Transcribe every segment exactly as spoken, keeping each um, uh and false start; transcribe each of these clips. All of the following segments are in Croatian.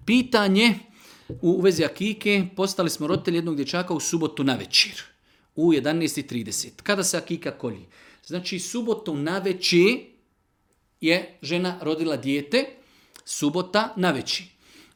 Pitanje u vezi akike, postali smo roditelji jednog dječaka u subotu navečer, u jedanaest i trideset. Kada se akika kolji? Znači, subotu navečer je žena rodila dijete, subota navečer.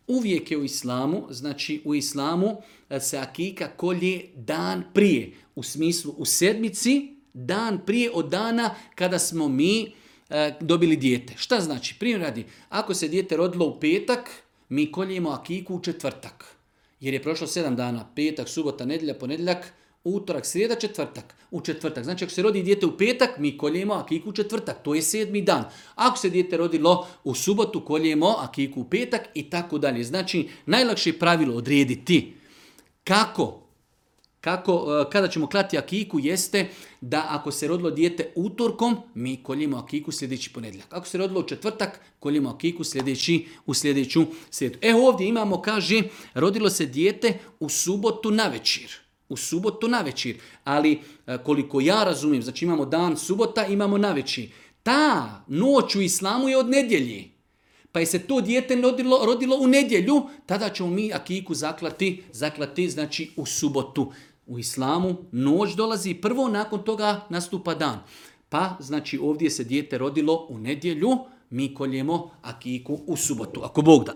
Uvijek je u islamu, znači u islamu se akika kolje dan prije, u smislu u sedmici, dan prije od dana kada smo mi e, dobili dijete. Šta znači? Primjer radi, ako se dijete rodilo u petak, mi koljemo akiku u četvrtak. Jer je prošlo sedam dana, petak, subota, nedjelja, ponedjeljak, utorak, srijeda, četvrtak. U četvrtak. Znači ako se rodi dijete u petak, mi koljemo akiku u četvrtak. To je sedmi dan. Ako se dijete rodilo u subotu, koljemo akiku u petak i tako dalje. Znači najlakše pravilo odrediti kako, kako, kada ćemo klati akiku jeste da ako se rodilo dijete utorkom, mi koljemo akiku sljedeći ponedjeljak. Ako se rodilo u četvrtak, koljemo akiku sljedeći, u sljedeću srijedu. E ovdje imamo, kaže, rodilo se dijete u subotu navečer. U subotu navečer. Ali koliko ja razumijem, znači imamo dan subota, imamo navečer. Ta noć u islamu je od nedjelje. Pa je se to dijete rodilo, rodilo u nedjelju, tada ćemo mi akiku zaklati, zaklati znači u subotu. U islamu noć dolazi prvo, nakon toga nastupa dan. Pa znači ovdje se dijete rodilo u nedjelju, mi koljemo akiku u subotu, ako Bog da.